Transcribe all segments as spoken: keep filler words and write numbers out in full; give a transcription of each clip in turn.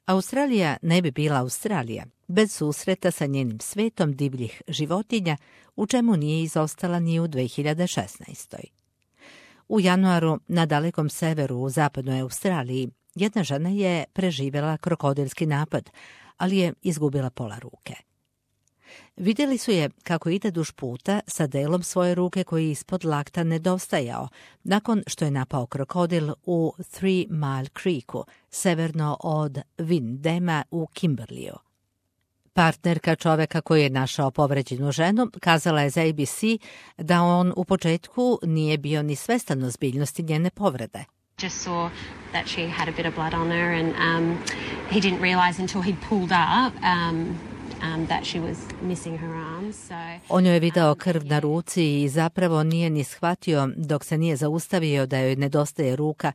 Australija ne bi bila Australija bez susreta sa njenim svetom divljih životinja, u čemu nije izostala ni u dve hiljade šesnaestoj. U januaru na dalekom severu u zapadnoj Australiji jedna žena je preživjela krokodilski napad, ali je izgubila pola ruke. Vidjeli su je kako ide duž puta sa delom svoje ruke koji ispod lakta nedostajao, nakon što je napao krokodil u Three Mile Creeku, severno od Windema u Kimberleyu. Partnerka čoveka koji je našao povređenu ženu kazala je za A B C da on u početku nije bio ni svestan ozbiljnosti njene povrede. Just saw that she had a bit of blood on her and um, he didn't realize until he'd pulled up um, um, that she was missing her arms. So, On joj je video krv na ruci i zapravo nije ni shvatio dok se nije zaustavio da joj nedostaje ruka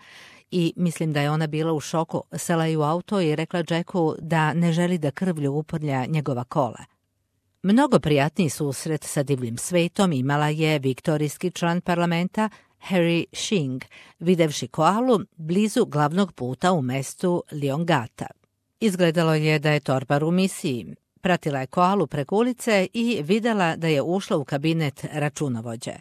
i mislim da je ona bila u šoku. Sela je u auto i rekla Jacku da ne želi da krvlju uprlja njegova kola. Mnogo prijatniji susret sa divljim svetom imala je viktorijski član parlamenta Harry Shing, videvši koalu blizu glavnog puta u mestu Leongata. Izgledalo je da je torbar u misiji. Pratila je koalu preko ulice i videla da je ušla u kabinet računovođe.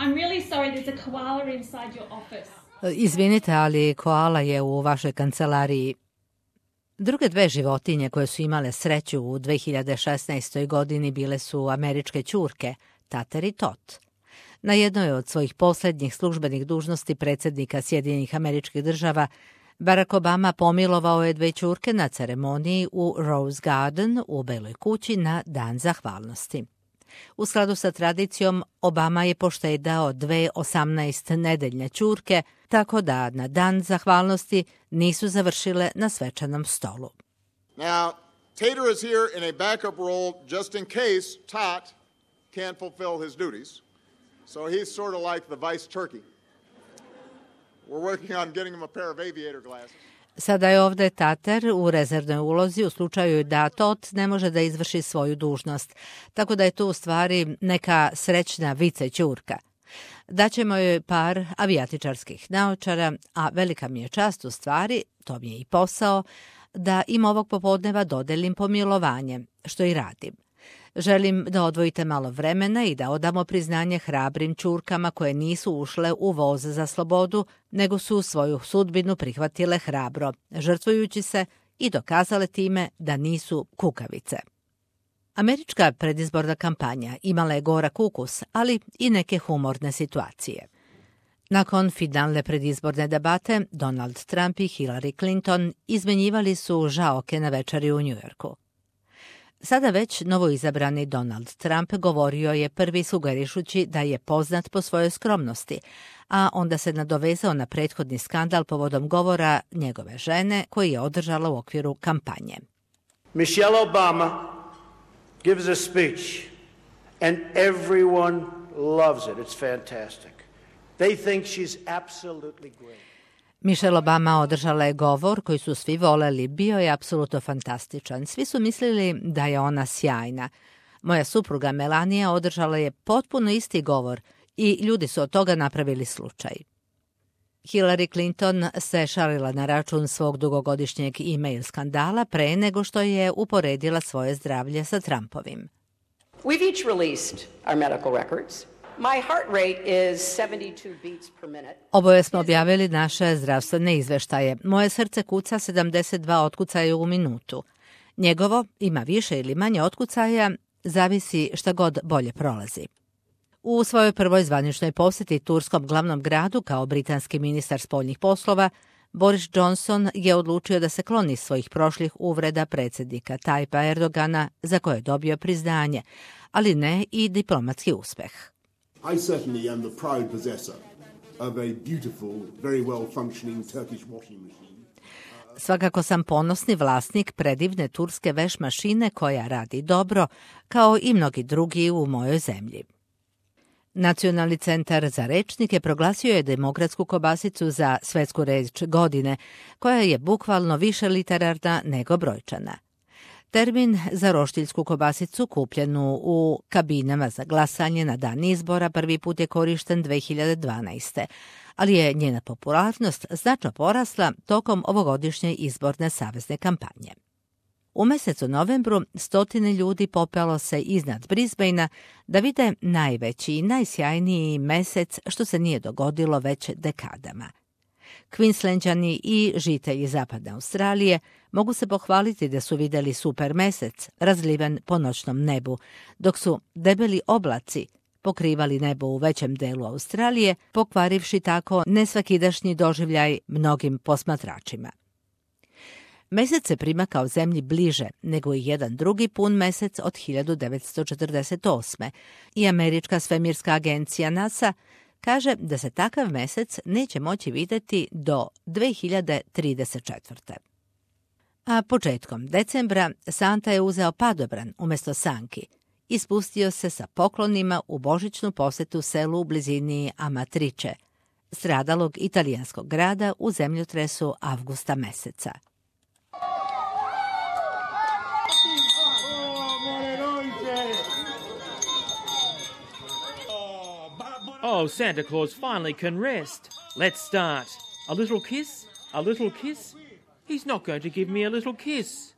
I'm really sorry, there's a koala inside your office. Izvinite, ali koala je u vašoj kancelariji. Druge dve životinje koje su imale sreću u dve hiljade šesnaestoj godini bile su američke ćurke, Tater i Tot. Na jednoj od svojih posljednjih službenih dužnosti predsjednika Sjedinjenih Američkih Država, Barack Obama pomilovao je dve ćurke na ceremoniji u Rose Garden u Beloj kući na Dan zahvalnosti. U skladu sa tradicijom, Obama je poštedao dve osamnaest nedeljne ćurke, tako da na Dan zahvalnosti nisu završile na svečanom stolu. Now, Tater is here in a backup role just in case Tot can't fulfill his duties. So he's sort of like the vice turkey. We're working on getting him a pair of aviator glasses. Sada je ovdje Tater u rezervnoj ulozi u slučaju da Tot ne može da izvrši svoju dužnost, tako da je to u stvari neka srećna vice ćurka. Daćemo joj par avijatičarskih naočara, a velika mi je čast u stvari, to mi je i posao, da im ovog popodneva dodelim pomilovanje, što i radim. Želim da odvojite malo vremena i da odamo priznanje hrabrim ćurkama koje nisu ušle u voz za slobodu, nego su svoju sudbinu prihvatile hrabro, žrtvujući se i dokazale time da nisu kukavice. Američka predizborna kampanja imala je gorak ukus, ali i neke humorne situacije. Nakon finalne predizborne debate, Donald Trump i Hillary Clinton izmenjivali su žaoke na večeri u Njujorku. Sada već novoizabrani Donald Trump govorio je prvi sugerišući da je poznat po svojoj skromnosti, a onda se nadovezao na prethodni skandal povodom govora njegove žene koji je održala u okviru kampanje. Michelle Obama gives a speech and everyone loves it. It's fantastic. They think she's absolutely great. Michelle Obama održala je govor koji su svi voleli, bio je apsolutno fantastičan. Svi su mislili da je ona sjajna. Moja supruga Melania održala je potpuno isti govor i ljudi su od toga napravili slučaj. Hillary Clinton se šalila na račun svog dugogodišnjeg e-mail skandala pre nego što je uporedila svoje zdravlje sa Trumpovim. We've each released our medical records. My heart rate is seventy-two beats per minute. Oboje smo objavili naše zdravstvene izveštaje. Moje srce kuca sedamdeset dva otkucaja u minutu. Njegovo ima više ili manje otkucaja, zavisi šta god bolje prolazi. U svojoj prvoj zvaničnoj posjeti turskom glavnom gradu kao britanski ministar spoljnih poslova, Boris Johnson je odlučio da se kloni svojih prošlih uvreda predsjednika Tajpa Erdogana za koje je dobio priznanje, ali ne i diplomatski uspeh. I certainly am the proud possessor of a beautiful, very well-functioning Turkish washing machine. Svakako sam ponosni vlasnik predivne turske veš mašine koja radi dobro, kao i mnogi drugi u mojoj zemlji. Nacionalni centar za rečnike proglasio je demokratsku kobasicu za svetsku reč godine, koja je bukvalno više literarna nego brojčana. Termin za roštiljsku kobasicu kupljenu u kabinama za glasanje na dan izbora prvi put je korišten dve hiljade dvanaeste. ali je njena popularnost značno porasla tokom ovogodišnje izborne savezne kampanje. U mesecu novembru stotine ljudi popelo se iznad Brisbanea da vide najveći i najsjajniji mesec što se nije dogodilo već dekadama. Queenslandčani i žitelji zapadne Australije mogu se pohvaliti da su vidjeli super mesec razliven po noćnom nebu, dok su debeli oblaci pokrivali nebo u većem delu Australije, pokvarivši tako nesvakidašnji doživljaj mnogim posmatračima. Mesec se prima kao zemlji bliže nego i jedan drugi pun mesec od hiljadu devetsto četrdeset osme i američka svemirska agencija NASA kaže da se takav mesec neće moći vidjeti do dve hiljade trideset četvrte. A početkom decembra Santa je uzeo padobran umjesto sanki i spustio se sa poklonima u božićnu posjetu selu u blizini Amatrice, stradalog italijanskog grada u zemljotresu avgusta meseca. Oh, Santa Claus finally can rest. Let's start. A little kiss? A little kiss? He's not going to give me a little kiss.